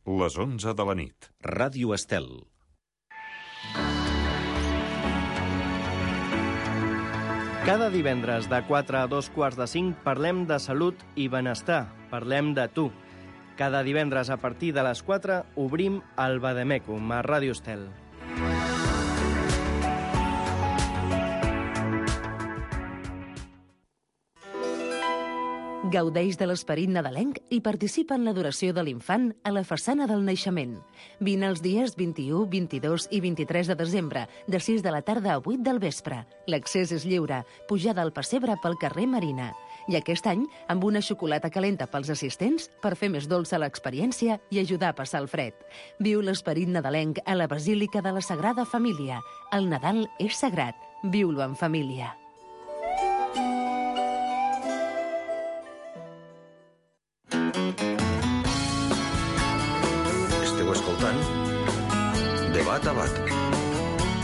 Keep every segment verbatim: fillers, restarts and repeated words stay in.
Les onze de la nit. Ràdio Estel. Cada divendres de quatre a dos quarts de cinc parlem de salut i benestar. Parlem de tu. Cada divendres a partir de les quatre obrim el Vademecum a Ràdio Estel. Gaudeix de l'esperit nadalenc i participa en l'adoració de l'infant a la façana del naixement. Vine els dies vint-i-u, vint-i-dos i vint-i-tres de desembre, de sis de la tarda a vuit del vespre. L'accés és lliure, pujada al pessebre pel carrer Marina. I aquest any, amb una xocolata calenta pels assistents per fer més dolça l'experiència i ajudar a passar el fred. Viu l'esperit nadalenc a la Basílica de la Sagrada Família. El Nadal és sagrat. Viu-lo en família. Esteu escoltant Debat a Bat,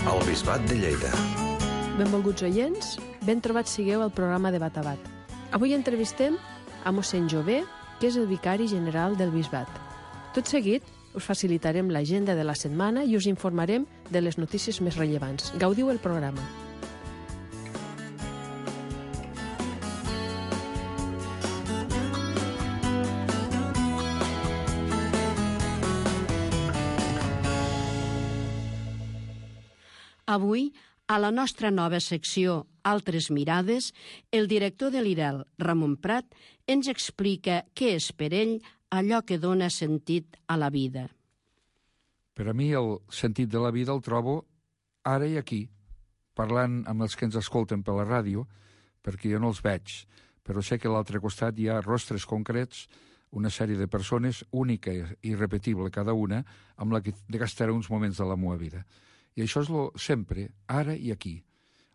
al Bisbat de Lleida. Benvolguts oients, ben trobats sigueu al programa Debat a Bat. Avui entrevistem a mossèn Jové, que és el vicari general del Bisbat. Tot seguit, us facilitarem l'agenda de la setmana i us informarem de les notícies més rellevants. Gaudiu el programa. Avui, a la nostra nova secció Altres mirades, el director de l'I R E L, Ramon Prat, ens explica què és per ell allò que dona sentit a la vida. Per a mi el sentit de la vida el trobo ara i aquí, parlant amb els que ens escolten per la ràdio, perquè jo no els veig, però sé que a l'altre costat hi ha rostres concrets, una sèrie de persones, única i irrepetible cada una, amb la que gastaré uns moments de la meva vida. I això és lo sempre, ara i aquí,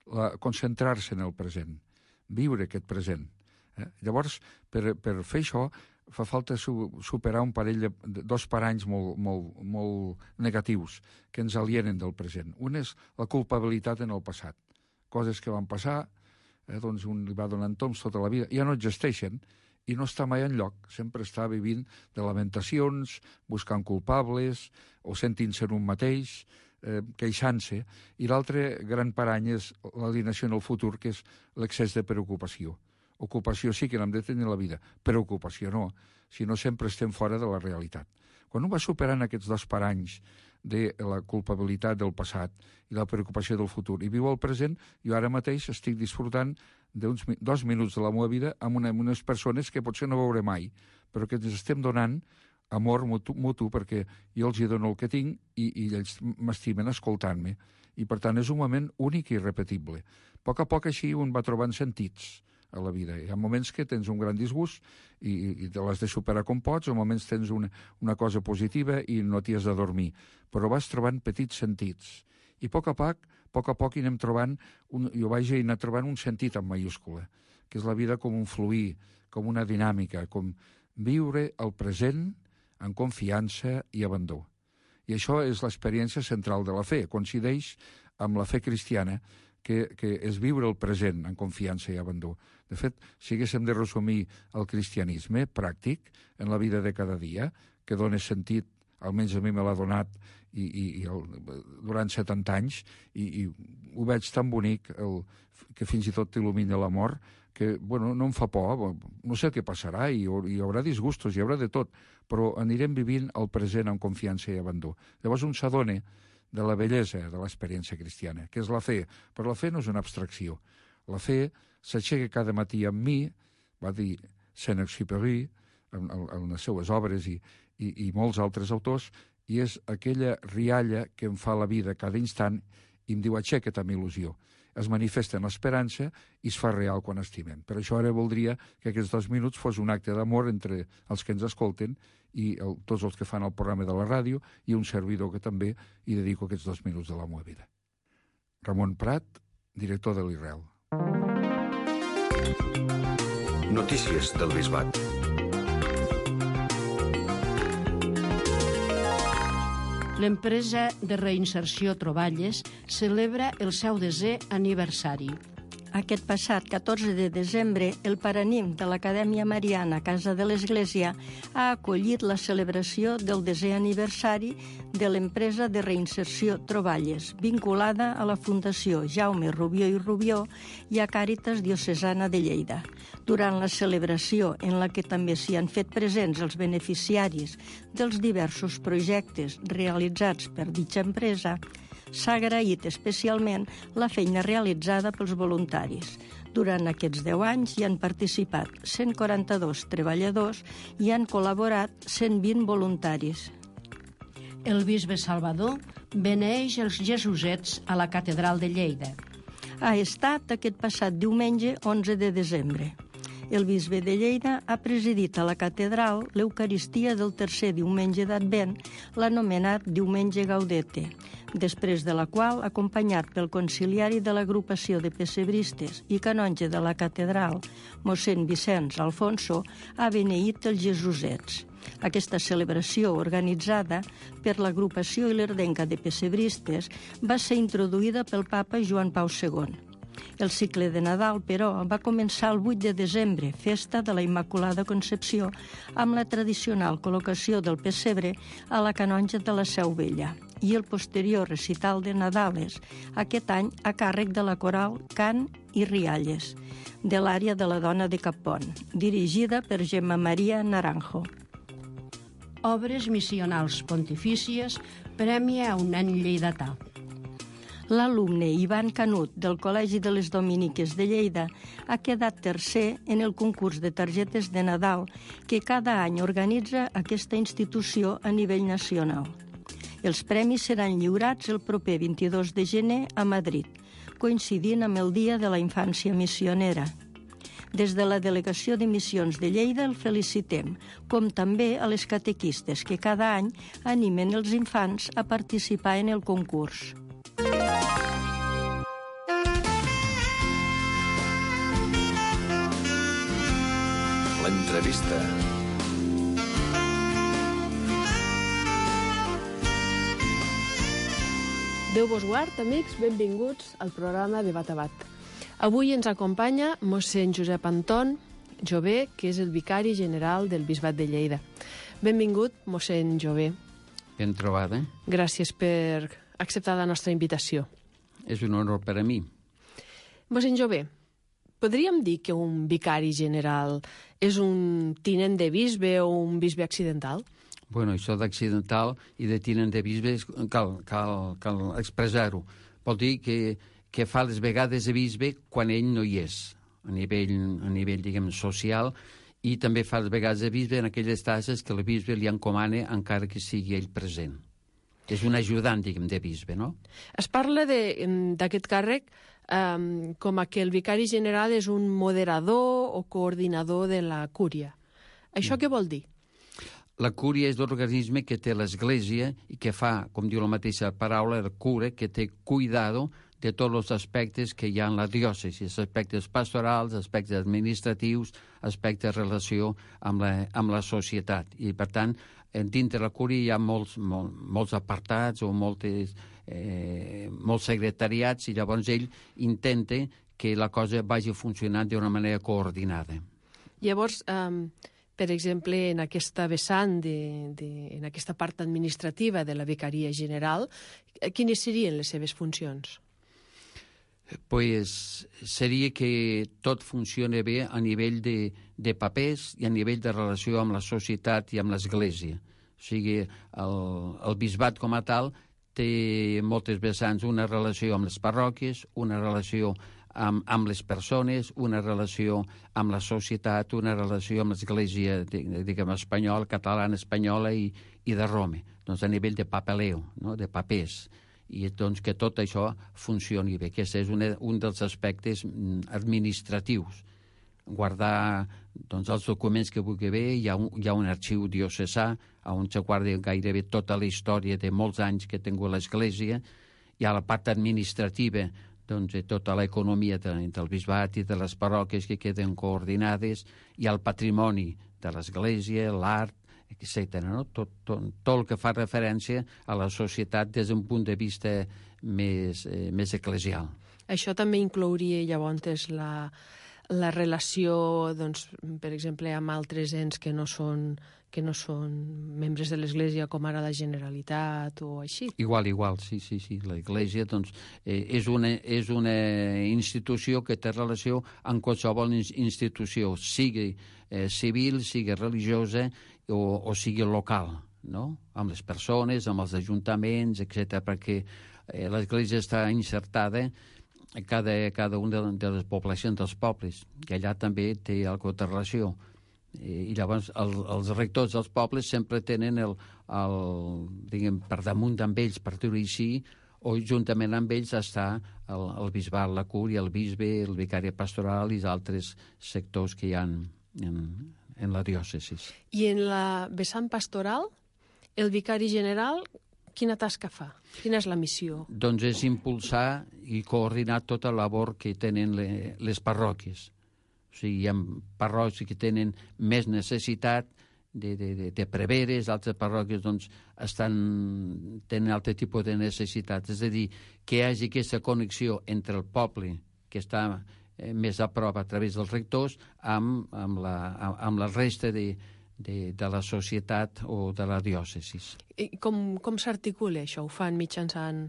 la, concentrar-se en el present, viure aquest present. Eh? Llavors, per, per fer això, fa falta su, superar un parell de, de dos paranys molt, molt, molt negatius que ens alienen del present. Un és la culpabilitat en el passat. Coses que van passar, eh, doncs un li va donant toms tota la vida, ja no existeixen i no està mai enlloc. Sempre està vivint de lamentacions, buscant culpables o sentint-se en un mateix, eh, queixant-se. I l'altre gran parany és l'alienació en el futur, que és l'excés de preocupació. Ocupació sí que n'hem de tenir la vida, preocupació no, si no sempre estem fora de la realitat. Quan un va superant aquests dos paranys de la culpabilitat del passat i la preocupació del futur i viu el present, jo ara mateix estic disfrutant d'uns dos minuts de la meva vida amb, una, amb unes persones que potser no veuré mai, però que ens estem donant amor mutu, mutu perquè jo els hi dono el que tinc i, i ells m'estimen escoltant-me. I per tant és un moment únic i irrepetible. A poc a poc així un va trobant sentits a la vida. Hi ha moments que tens un gran disgust i, i te l'has de superar com pots, o moments tens una, una cosa positiva i no t'hi has de dormir. Però vas trobant petits sentits. I a poc a poc, a poc a poc hi anem trobant, un, jo vaig anar trobant un sentit en mayúscula, que és la vida com un fluir, com una dinàmica, com viure el present en confiança i abandó. I això és l'experiència central de la fe, coincideix amb la fe cristiana, que, que és viure el present en confiança i abandó. De fet, si haguéssim de resumir el cristianisme pràctic en la vida de cada dia, que dona sentit, almenys a mi me l'ha donat i, i, i el, durant setanta anys, i, i ho veig tan bonic, el, que fins i tot t'il·lumina l'amor, que bueno, no em fa por, no sé què passarà, i hi haurà disgustos, hi haurà de tot, però anirem vivint el present amb confiança i abandó. Llavors un s'adona de la bellesa de l'experiència cristiana, que és la fe. Però la fe no és una abstracció. La fe s'aixeca cada matí amb mi, va dir Saint-Exupéry en, en, en les seues obres i, i, i molts altres autors, i és aquella rialla que em fa la vida cada instant i em diu aixeca't amb il·lusió. Es manifesta en l'esperança i es fa real quan estimem. Per això ara voldria que aquests dos minuts fos un acte d'amor entre els que ens escolten i el, tots els que fan el programa de la ràdio i un servidor que també hi dedico aquests dos minuts de la meva vida. Ramon Prat, director de l'I R E L. Notícies del Bisbat. L'empresa de reinserció Troballes celebra el seu desè aniversari. aquest passat catorze de desembre, el Paranim de l'Acadèmia Mariana Casa de l'Església ha acollit la celebració del desè aniversari de l'empresa de reinserció Troballes, vinculada a la Fundació Jaume Rubió i Rubió i a Càritas Diocesana de Lleida. Durant la celebració, en la que també s'hi han fet presents els beneficiaris dels diversos projectes realitzats per ditxa empresa, s'ha agraït especialment la feina realitzada pels voluntaris. Durant aquests deu anys hi han participat cent quaranta-dos treballadors i han col·laborat cent vint voluntaris. El bisbe Salvador beneeix els Jesusets a la Catedral de Lleida. Ha estat aquest passat diumenge onze de desembre. El bisbe de Lleida ha presidit a la catedral l'Eucaristia del tercer diumenge d'Advent, l'anomenat Diumenge Gaudete, després de la qual, acompanyat pel conciliari de l'agrupació de pessebristes i canonge de la catedral, mossèn Vicenç Alfonso, ha beneït els Jesusets. Aquesta celebració, organitzada per l'agrupació ilerdenca de pessebristes, va ser introduïda pel papa Joan Pau segon. El cicle de Nadal, però, va començar el vuit de desembre, festa de la Immaculada Concepció, amb la tradicional col·locació del pessebre a la canonja de la Seu Vella i el posterior recital de Nadales, aquest any a càrrec de la coral Cant i Rialles, de l'àrea de la Dona de Cappont, dirigida per Gemma Maria Naranjo. Obres missionals pontifícies premia a un nen lleidatà. L'alumne Ivan Canut, del Col·legi de les Dominiques de Lleida, ha quedat tercer en el concurs de targetes de Nadal que cada any organitza aquesta institució a nivell nacional. Els premis seran lliurats el proper vint-i-dos de gener a Madrid, coincidint amb el Dia de la Infància Missionera. Des de la Delegació de Missions de Lleida el felicitem, com també a les catequistes que cada any animen els infants a participar en el concurs. L'entrevista. Déu vos guard, amics, benvinguts al programa de Bat a Bat. Avui ens acompanya mossèn Josep Anton Jové, que és el vicari general del Bisbat de Lleida. Benvingut, mossèn Jové. Ben trobada. Gràcies per acceptar la nostra invitació. És un honor per a mi. Mossèn Jové, podríem dir que un vicari general és un tinent de bisbe o un bisbe accidental? Bueno, això d'accidental i de tinent de bisbe cal, cal, cal expressar-ho. Vol dir que, que fa les vegades de bisbe quan ell no hi és, a nivell, a nivell diguem, social, i també fa les vegades de bisbe en aquelles tasques que el bisbe li encomana encara que sigui ell present. És un ajudant, diguem, de bisbe, no? Es parla d'aquest càrrec um, com a que el vicari general és un moderador o coordinador de la cúria. Això mm. què vol dir? La cúria és l'organisme que té l'Església i que fa, com diu la mateixa paraula, el cura, que té cuidado de tots els aspectes que hi ha en la diòcesi, aspectes pastorals, aspectes administratius, aspectes de relació amb la, amb la societat. I, per tant, dintre la cúria hi ha molts, molt, molts apartats o moltes, eh, molts secretariats, i llavors ell intenta que la cosa vagi funcionant d'una manera coordinada. Llavors, um, per exemple, en aquesta vessant, de, de, en aquesta part administrativa de la vicaria general, quines serien les seves funcions? Pues seria que tot funcioni bé a nivell de, de papers i a nivell de relació amb la societat i amb l'Església. O sigui, el, el bisbat com a tal té moltes vessants, una relació amb les parròquies, una relació amb, amb les persones, una relació amb la societat, una relació amb l'Església, diguem, espanyola, catalana, espanyola i, i de Roma, doncs a nivell de papeleo, no? De papers. I doncs que tot això funcioni bé, que és un, un dels aspectes administratius. Guardar doncs, els documents que vulgui bé, hi ha un, hi ha un arxiu diocesà on se guarda gairebé tota la història de molts anys que ha tingut l'Església, hi ha la part administrativa, doncs tota l'economia de, del bisbat i de les parròquies que queden coordinades, hi ha el patrimoni de l'Església, l'art, etcètera. No? Tot, tot, tot el que fa referència a la societat des d'un punt de vista més, eh, més eclesial. Això també inclouria llavors la, la relació, doncs, per exemple, amb altres ens que no són que no són membres de l'Església, com ara la Generalitat o així. Igual, igual, sí, sí, sí. L'Església doncs, eh, és, una, és una institució que té relació amb qualsevol institució, sigui eh, civil, sigui religiosa o, o sigui local, no? Amb les persones, amb els ajuntaments, etcètera, perquè eh, l'Església està insertada a cada, cada una de, de les poblacions dels pobles, que allà també té alguna de relació. I llavors el, els rectors dels pobles sempre tenen el, el, diguem, per damunt amb ells, per dir-ho així, o juntament amb ells està el, el bisbat, la cúria, el bisbe, el vicari pastoral i els altres sectors que hi ha en, en la diòcesi. I en la vessant pastoral, el vicari general, quina tasca fa? Quina és la missió? Doncs és impulsar i coordinar tota la labor que tenen le, les parròquies. O sigui, hi ha parròquies que tenen més necessitat de, de, de, de preveres, altres parròquies doncs, estan, tenen altre tipus de necessitat. És a dir, que hi hagi aquesta connexió entre el poble, que està eh, més a prop a través dels rectors, amb, amb, la, amb la resta de, de, de la societat o de la diòcesi. I com, com s'articula això? Ho fan mitjançant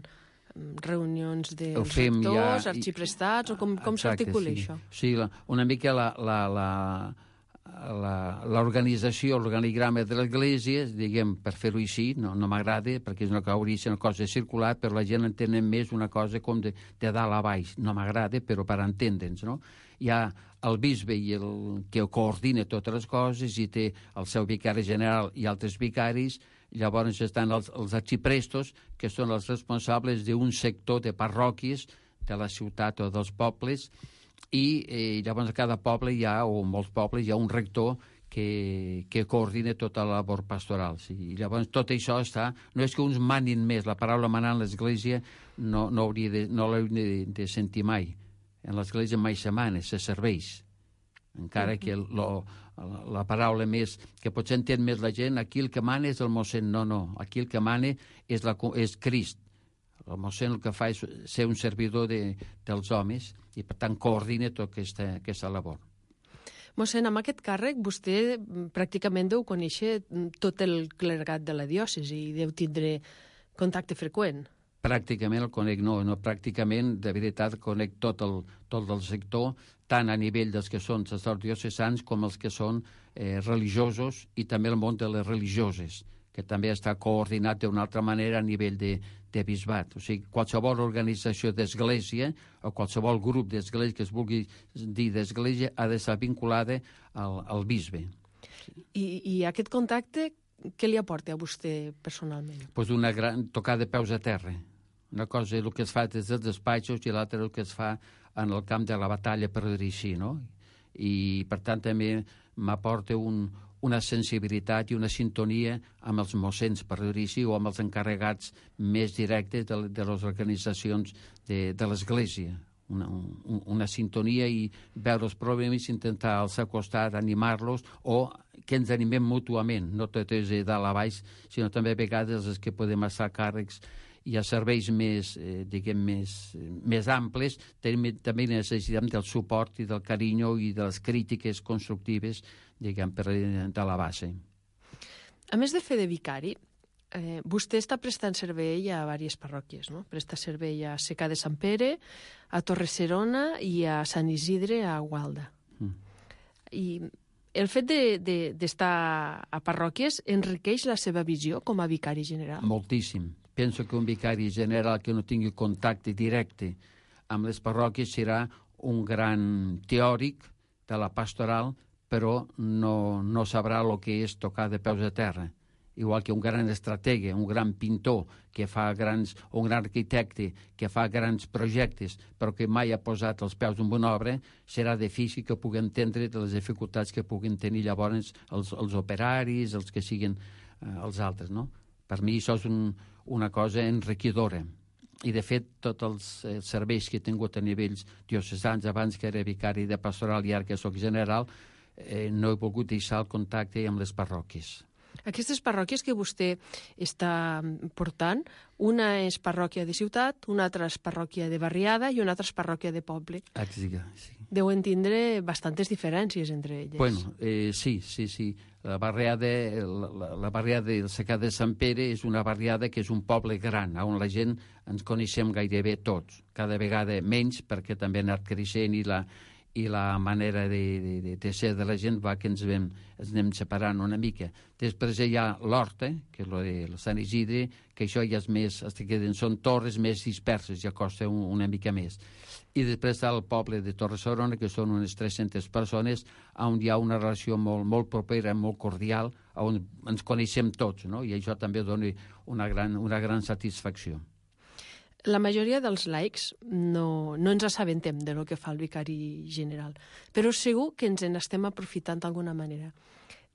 reunions dels fem rectors, ja, arxiprestats, o com, com s'articula sí. això? Sí, la, una mica la, la, la, l'organització, l'organigrama de l'Església, diguem, per fer-ho així, no, no m'agrada, perquè és una, hauria de ser una cosa circular, però la gent entén més una cosa com de, de dalt a baix. No m'agrada, però per entendre'ns, no? Hi ha el bisbe i el que coordina totes les coses i té el seu vicari general i altres vicaris. Llavors estan els, els arxiprestos, que són els responsables d'un sector de parròquies de la ciutat o dels pobles, i eh, llavors a cada poble hi ha, o en molts pobles, hi ha un rector que, que coordina tota la labor pastoral. Sí. I llavors tot això està... No és que uns manin més, la paraula manar en l'Església no, no hauria de, no l'hauria de, de sentir mai. En l'Església mai se mana, se serveix. Encara que lo, la, la paraula més que potser entén més la gent, aquí el que mana és el mossèn. No, no, aquí el que mana és, la, és Crist. El mossèn el que fa és ser un servidor de, dels homes i, per tant, coordina tota aquesta, aquesta labor. Mossèn, amb aquest càrrec vostè pràcticament deu conèixer tot el clergat de la diòcesi i deu tindre contacte freqüent. Pràcticament el conec, no, no, pràcticament, de veritat, conec tot el, tot el sector, tant a nivell dels que són sacerdots diocesans com els que són eh, religiosos i també el món de les religioses, que també està coordinat d'una altra manera a nivell de, de bisbat. O sigui, qualsevol organització d'església o qualsevol grup d'església que es vulgui dir d'església ha d'estar vinculada al, al bisbe. I, I aquest contacte, què li aporta a vostè personalment? Pues una gran tocada de peus a terra. Una cosa és el que es fa des dels despatxos i l'altra el que es fa en el camp de la batalla, per dir així, no? I, per tant, també m'aporta un, una sensibilitat i una sintonia amb els mossens, per dir així, o amb els encarregats més directes de, de les organitzacions de, de l'Església. Una, un, una sintonia i veure els problemes, intentar alçar costat, animar-los, o que ens animem mútuament, no tot és de dalt a baix, sinó també a vegades els que podem estar càrrecs i a serveis més, eh, diguem, més, més amples, també, també necessitem del suport i del carinyo i de les crítiques constructives, diguem, per de la base. A més de fer de vicari, eh, vostè està prestant servei a diverses parròquies, no? Presta servei a Secà de Sant Pere, a Torre-serona i a Sant Isidre, a Gualda. Mm. I el fet d'estar de, de, a parròquies enriqueix la seva visió com a vicari general? Moltíssim. Penso que un vicari general que no tingui contacte directe amb les parròquies serà un gran teòric de la pastoral, però no, no sabrà el que és tocar de peus a terra. Igual que un gran estratega, un gran pintor, que fa grans, un gran arquitecte que fa grans projectes, però que mai ha posat els peus en una obra, serà difícil que pugui entendre de les dificultats que puguin tenir llavors els, els operaris, els que siguin eh, els altres, no? Per mi això és un, una cosa enriquidora. I, de fet, tots els eh, serveis que he tingut a nivells diocesans, abans que era vicari de pastoral i ara que soc general, eh, no he volgut deixar el contacte amb les parròquies. Aquestes parròquies que vostè està portant, una és parròquia de ciutat, una altra és parròquia de barriada i una altra és parròquia de poble. Exacte, sí. Deuen tindre bastantes diferències entre elles. Bueno, eh, sí, sí, sí. La barriada, la, la, la barriada del Secà de Sant Pere és una barriada que és un poble gran, on la gent ens coneixem gairebé tots. Cada vegada menys, perquè també ha anat creixent i la, i la manera de, de, de ser de la gent va que ens, vam, ens anem separant una mica. Després hi ha l'Horta, que és el de Sant Isidre, que això ja és més, que són torres més disperses, ja costa un, una mica més. I després està el poble de Torre-serona, que són unes tres-centes persones, on hi ha una relació molt, molt propera, molt cordial, on ens coneixem tots, no? I això també dona una gran, una gran satisfacció. La majoria dels laics no, no ens assabentem de lo que fa el vicari general, però segur que ens en estem aprofitant d'alguna manera.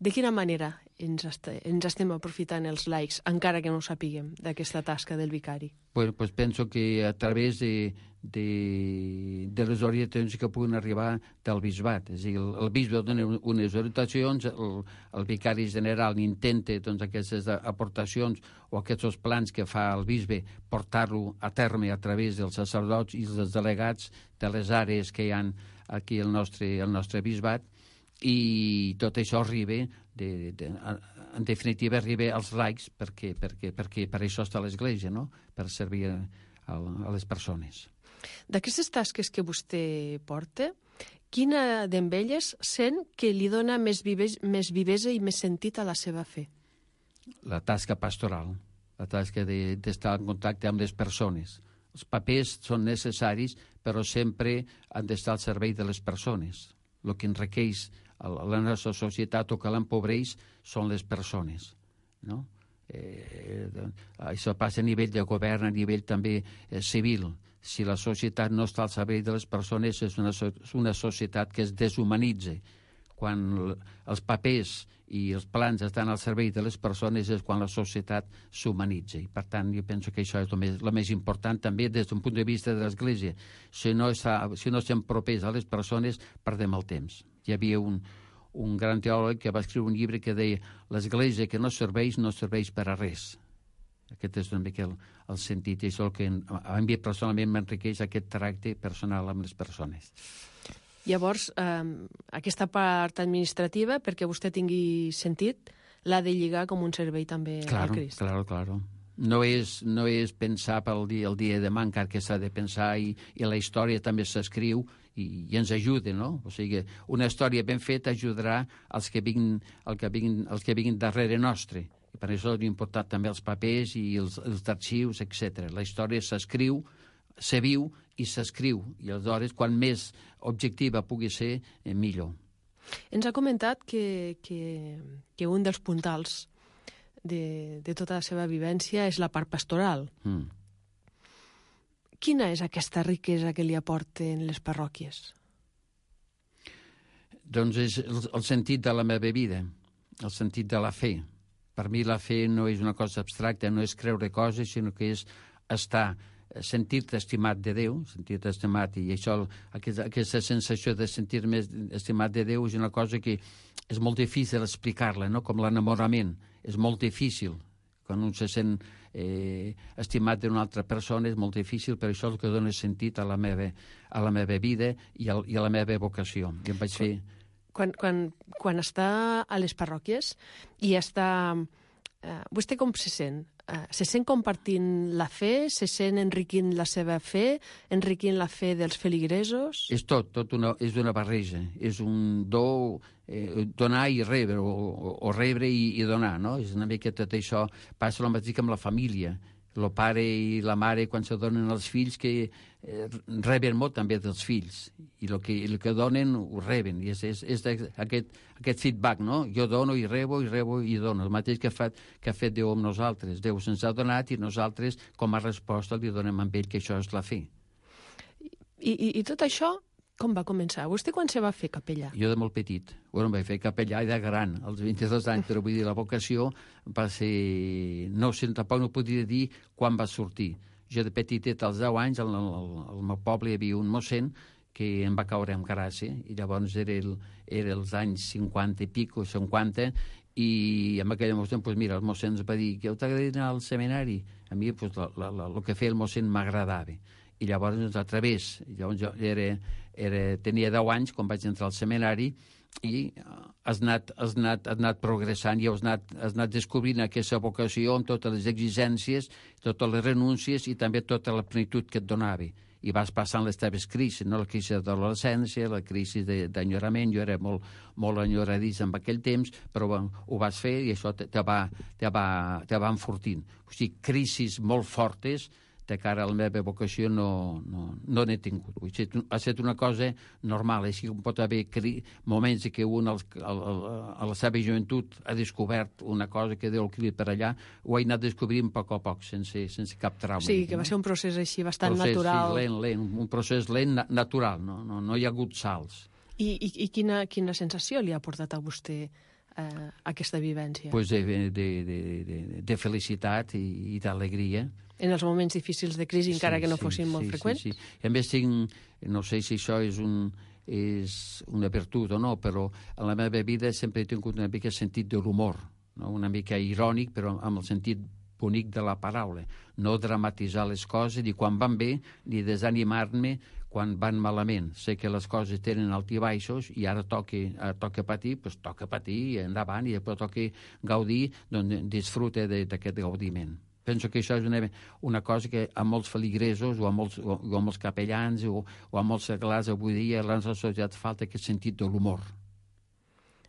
De quina manera ens, est ens estem aprofitant els laics, encara que no ho sapiguem, d'aquesta tasca del vicari? Pues, pues penso que a través de, de, de les orientacions que puguin arribar del bisbat. És a dir, el, el bisbe dona unes orientacions, el, el vicari general intenta doncs, aquestes aportacions o aquests plans que fa el bisbe portar-lo a terme a través dels sacerdots i dels delegats de les àrees que hi ha aquí al nostre, al nostre bisbat, i tot això arriba, de, de, en definitiva, arriba als laics, perquè, perquè, perquè per això està l'Església, no? Per servir a, a les persones. D'aquestes tasques que vostè porta, quina d'elles sent que li dona més, vives, més vivesa i més sentit a la seva fe? La tasca pastoral, la tasca d'estar de, en contacte amb les persones. Els papers són necessaris, però sempre han d'estar al servei de les persones. El que enriqueix la nostra societat o que l'empobreix són les persones, no? Eh, això passa a nivell de govern, a nivell també eh, civil. Si la societat no està al servei de les persones, és una, és una societat que es deshumanitza. Quan els papers i els plans estan al servei de les persones és quan la societat s'humanitza. I, per tant, jo penso que això és el més, el més important també des d'un punt de vista de l'Església. Si no, està, si no estem propers a les persones, perdem el temps. Hi havia un, un gran teòleg que va escriure un llibre que deia l'Església que no serveix, no serveix per a res. Aquest és una mica el, el sentit, i això el que a mi personalment m'enriqueix, aquest tracte personal amb les persones. Llavors, eh, aquesta part administrativa, perquè vostè tingui sentit, l'ha de lligar com un servei també claro, al Crist. Claro, claro. No és, no és pensar pel dia, el dia de demà, encara que s'ha de pensar, i, i la història també s'escriu i, i ens ajuda, no? O sigui, una història ben feta ajudarà als que vinguin, el que vinguin, els que vinguin darrere nostre. I per això és important també els papers i els, els arxius, etcètera. La història s'escriu, se viu i s'escriu, i aleshores, quan més objectiva pugui ser, eh, millor. Ens ha comentat que, que, que un dels puntals de, de tota la seva vivència és la part pastoral. Mm. Quina és aquesta riquesa que li aporten les parròquies? Doncs és el, el sentit de la meva vida, el sentit de la fe. Per mi la fe no és una cosa abstracta, no és creure coses, sinó que és estar, sentir-te estimat de Déu, sentir-te estimat, i això, aquesta, aquesta sensació de sentir-me estimat de Déu és una cosa que és molt difícil explicar-la, no? Com l'enamorament. És molt difícil. Quan un se sent eh, estimat d'una altra persona és molt difícil, però això és el que dona sentit a la meva, a la meva vida i a, i a la meva vocació. I em vaig fer... Quan, quan, quan està a les parròquies i està... Eh, vostè com se sent? Eh, se sent compartint la fe? Se sent enriquint la seva fe? Enriquint la fe dels feligresos? És tot, tot una, és una barreja. És un do, eh, donar i rebre, o, o, o rebre i, i donar, no? És una mica tot això. Passa el mateix amb la família. El pare i la mare, quan se donen als fills, que eh, reben molt també dels fills. I el que, el que donen, ho reben. I és, és, és aquest, aquest feedback, no? Jo dono i rebo, i rebo i dono. El mateix que ha fet, que ha fet Déu amb nosaltres. Déu se'ns ha donat i nosaltres, com a resposta, li donem amb ell, que això és la fe. I, i, i tot això, com va començar? Vostè quan se va fer capellà? Jo de molt petit. Bueno, em vaig fer capellà de gran, als vint-i-dos anys, però vull dir, la vocació va ser... No sé, tampoc no podria dir quan va sortir. Jo de petitet, als deu anys, al, al, al meu poble hi havia un mossèn que em va caure amb gràcia, i llavors era, el, era els anys cinquanta i pico, cinquanta, I en aquell moment, pues, mira, el mossèn ens va dir que t'agradaria anar al seminari. A mi, pues, el que feia el mossèn m'agradava. I llavors, doncs, a través, llavors jo era, era, tenia deu anys quan vaig entrar al seminari, i has anat, has anat, has anat progressant i has anat, has anat descobrint aquesta vocació amb totes les exigències, totes les renúncies i també tota la plenitud que et donava. I vas passant les teves crisis, no? La crisi d'adolescència, la crisi d'enyorament. Jo era molt, molt enyoradís en aquell temps, però bueno, ho vas fer i això te, te, va, te, va, te va enfortint. O sigui, crisis molt fortes de cara a la meva vocació no, no, no n'he tingut. Vull dir, ha estat una cosa normal, així com pot haver cri... moments que un als, al, al, a la seva joventut ha descobert una cosa que Déu el crida per allà, ho he anat descobrint a poc a poc, sense, sense cap trauma. Sí, que va ser un procés així bastant procés, natural. Sí, lent, lent, un procés lent, na natural, no, no, no hi ha hagut salts. I, i, i quina, quina sensació li ha portat a vostè eh, aquesta vivència? Pues de, de, de, de, de felicitat i, i d'alegria. En els moments difícils de crisi, encara sí, que no sí, fossin molt sí, freqüents? Sí, sí. I a més tinc, no sé si això és, un, és una virtut o no, però en la meva vida sempre he tingut una mica sentit de l'humor, no? Una mica irònic, però amb el sentit bonic de la paraula. No dramatitzar les coses, ni quan van bé, ni desanimar-me quan van malament. Sé que les coses tenen alts i baixos i ara toca, ara toca patir, doncs toca patir i endavant, i després toca gaudir, doncs disfruta d'aquest gaudiment. Penso que això és una, una cosa que a molts feligresos o a molts, o, o a molts capellans o, o a molts seglars avui dia a la nostra societat falta aquest sentit de l'humor.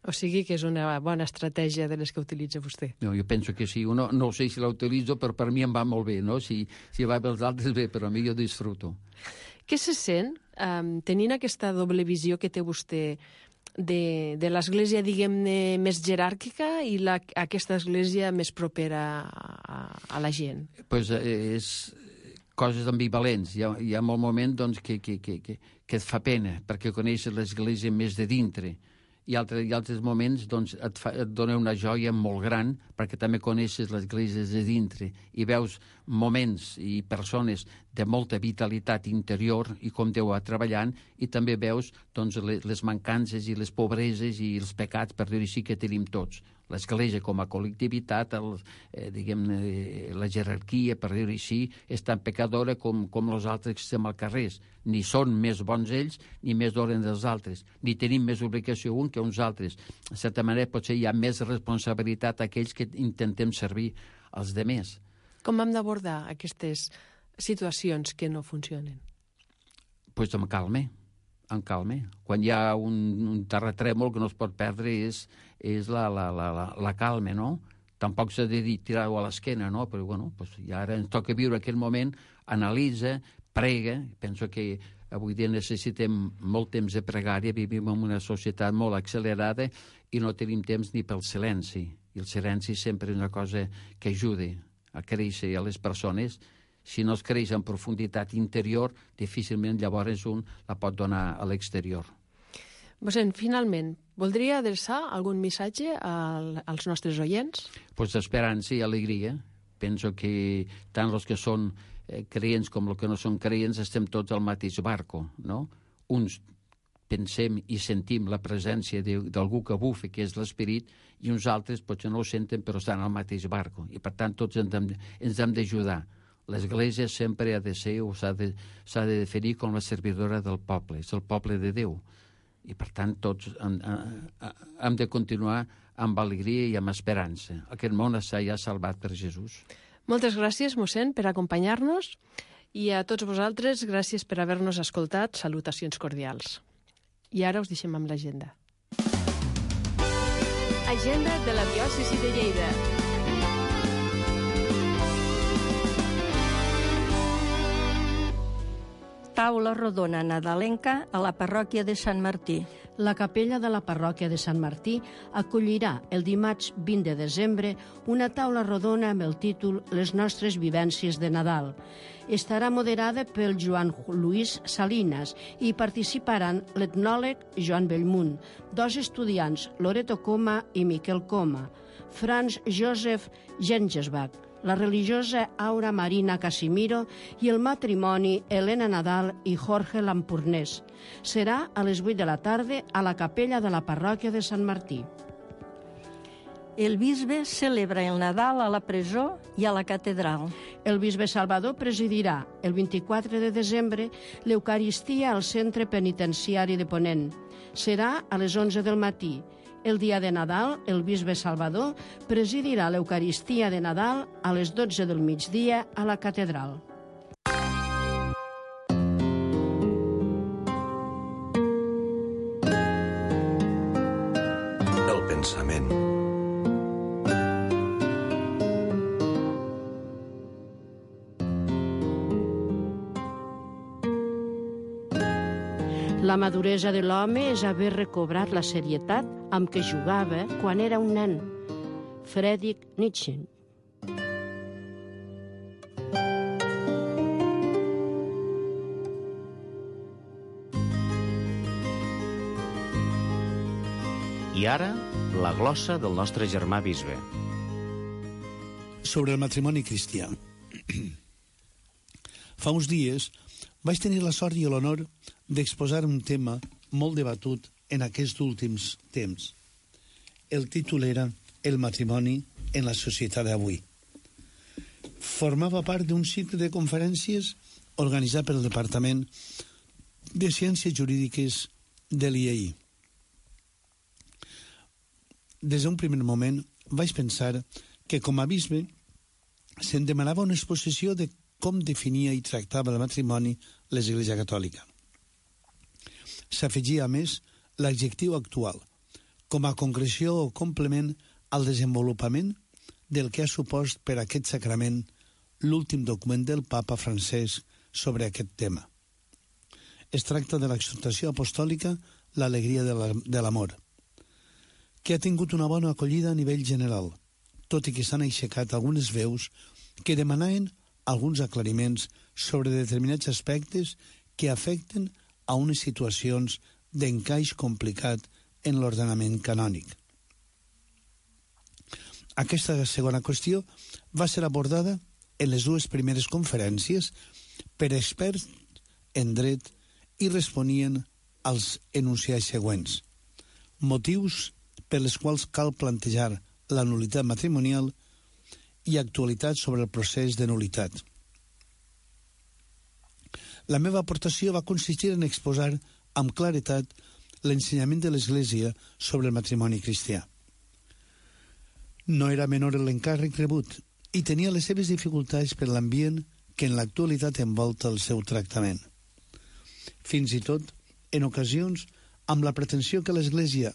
O sigui que és una bona estratègia de les que utilitza vostè. No, jo penso que sí. No, no sé si la utilitzo, però per mi em va molt bé, no? Si, si va pels altres bé, però a mi jo disfruto. Què se sent um, tenint aquesta doble visió que té vostè de, de l'església, diguem-ne, més jeràrquica i la, aquesta església més propera a, a la gent? Pues és coses ambivalents. Hi ha, hi ha molt moment doncs, que, que, que, que, que et fa pena, perquè coneixes l'església més de dintre. I altres, i altres moments doncs, et, fa, et dona una joia molt gran perquè també coneixes l'església de dintre i veus moments i persones de molta vitalitat interior i com Déu va treballant, i també veus doncs, les, les mancances i les pobreses i els pecats, per dir-ho així, que tenim tots. L'església com a col·lectivitat, el, eh, diguem-ne, la jerarquia, per dir-ho així, és tan pecadora com, com els altres que estem al carrer. Ni són més bons ells, ni més doren dels altres. Ni tenim més obligació un que uns altres. De certa manera, potser hi ha més responsabilitat a aquells que intentem servir als demés. Com hem d'abordar aquestes situacions que no funcionen? Doncs pues amb calma. En calma. Quan hi ha un, un terratrèmol que no es pot perdre és, és la, la, la, la, la calma, no? Tampoc s'ha de dir tirar-ho a l'esquena, no? Però, bueno, pues, i ara ens toca viure aquest moment, analitza, prega. Penso que avui dia necessitem molt temps de pregària, vivim en una societat molt accelerada i no tenim temps ni pel silenci. I el silenci sempre és una cosa que ajuda a créixer a les persones. Si no es creix en profunditat interior, difícilment llavors un la pot donar a l'exterior. Mossèn, finalment, voldria adreçar algun missatge al, als nostres oients? Pues d'esperança i alegria. Penso que tant els que són eh, creients com els que no són creients estem tots al mateix barco, no? Uns pensem i sentim la presència d'algú que bufa, que és l'esperit, i uns altres potser no ho senten però estan al mateix barco. I per tant tots ens hem, ens hem d'ajudar. L'Església sempre ha de ser o s'ha de, s'ha de definir com la servidora del poble, és el poble de Déu. I per tant tots hem, hem de continuar amb alegria i amb esperança. Aquest món està ja salvat per Jesús. Moltes gràcies, mossèn, per acompanyar-nos, i a tots vosaltres, gràcies per haver-nos escoltat. Salutacions cordials. I ara us deixem amb l'agenda. Agenda de la diòcesi de Lleida. Taula rodona nadalenca a la parròquia de Sant Martí. La capella de la parròquia de Sant Martí acollirà el dimarts vint de desembre una taula rodona amb el títol Les nostres vivències de Nadal. Estarà moderada pel Joan Luis Salinas i participaran l'etnòleg Joan Bellmunt, dos estudiants, Loreto Coma i Miquel Coma, Franz Josef Gengelsbach, la religiosa Aura Marina Casimiro i el matrimoni Helena Nadal i Jorge Lampurnés. Serà a les vuit de la tarda a la capella de la parròquia de Sant Martí. El bisbe celebra el Nadal a la presó i a la catedral. El bisbe Salvador presidirà el vint-i-quatre de desembre l'Eucaristia al centre penitenciari de Ponent. Serà a les onze del matí. El dia de Nadal, el bisbe Salvador presidirà l'Eucaristia de Nadal a les dotze del migdia a la catedral. El pensament. La maduresa de l'home és haver recobrat la serietat amb què jugava quan era un nen. Friedrich Nietzsche. I ara, la glossa del nostre germà bisbe. Sobre el matrimoni cristià. Fa uns dies vaig tenir la sort i l'honor d'exposar un tema molt debatut en aquests últims temps. El títol era El matrimoni en la societat d'avui. Formava part d'un cicle de conferències organitzat pel Departament de Ciències Jurídiques de l'I A I. Des d'un primer moment vaig pensar que com a bisbe se'n demanava una exposició de com definia i tractava el matrimoni l'Església Catòlica. S'afegia, a més, l'adjectiu actual, com a concreció o complement al desenvolupament del que ha supost per aquest sacrament l'últim document del Papa Francesc sobre aquest tema. Es tracta de l'exhortació apostòlica L'alegria de l'amor, que ha tingut una bona acollida a nivell general, tot i que s'han aixecat algunes veus que demanaven alguns aclariments sobre determinats aspectes que afecten a unes situacions d'encaix complicat en l'ordenament canònic. Aquesta segona qüestió va ser abordada en les dues primeres conferències per experts en dret i responien als enunciats següents. Motius per les quals cal plantejar la nul·litat matrimonial i actualitat sobre el procés de nul·litat. La meva aportació va consistir en exposar amb claretat l'ensenyament de l'Església sobre el matrimoni cristià. No era menor l'encàrrec rebut i tenia les seves dificultats per l'ambient que en l'actualitat envolta el seu tractament. Fins i tot, en ocasions, amb la pretensió que l'Església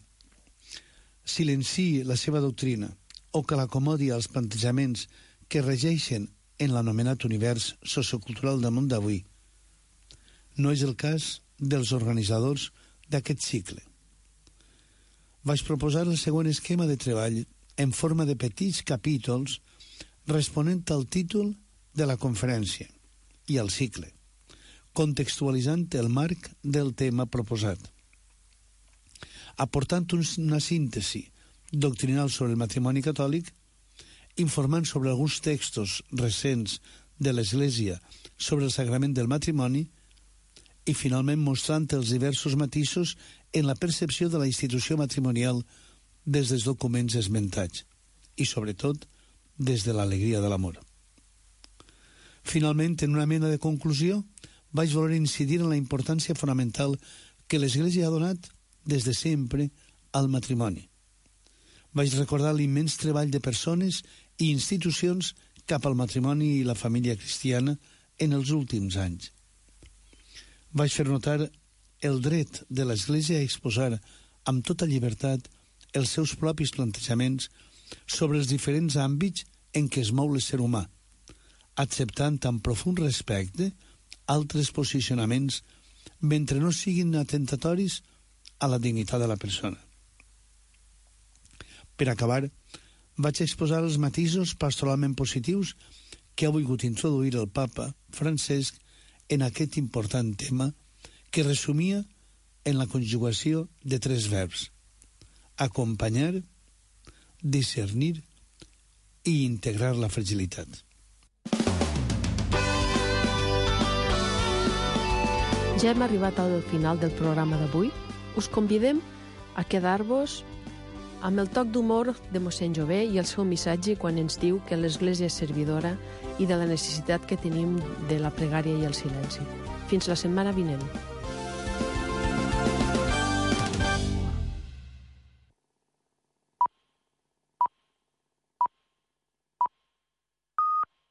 silenciï la seva doctrina o que l'acomodi als plantejaments que regeixen en l'anomenat univers sociocultural del món d'avui. No és el cas dels organitzadors d'aquest cicle. Vaig proposar el següent esquema de treball en forma de petits capítols responent al títol de la conferència i al cicle, contextualitzant el marc del tema proposat, aportant una síntesi doctrinal sobre el matrimoni catòlic, informant sobre alguns textos recents de l'Església sobre el sagrament del matrimoni i, finalment, mostrant els diversos matisos en la percepció de la institució matrimonial des dels documents esmentats i, sobretot, des de l'alegria de l'amor. Finalment, en una mena de conclusió, vaig voler incidir en la importància fonamental que l'Església ha donat des de sempre al matrimoni. Vaig recordar l'immens treball de persones i institucions cap al matrimoni i la família cristiana en els últims anys. Vaig fer notar el dret de l'Església a exposar amb tota llibertat els seus propis plantejaments sobre els diferents àmbits en què es mou l'ésser humà, acceptant amb profund respecte altres posicionaments mentre no siguin atentatoris a la dignitat de la persona. Per acabar, vaig exposar els matisos pastoralment positius que ha volgut introduir el Papa Francesc en aquest important tema que resumia en la conjugació de tres verbs: acompanyar, discernir i integrar la fragilitat. Ja hem arribat al final del programa d'avui. Us convidem a quedar-vos amb el toc d'humor de mossèn Jové i el seu missatge quan ens diu que l'Església és servidora i de la necessitat que tenim de la pregària i el silenci. Fins la setmana vinent.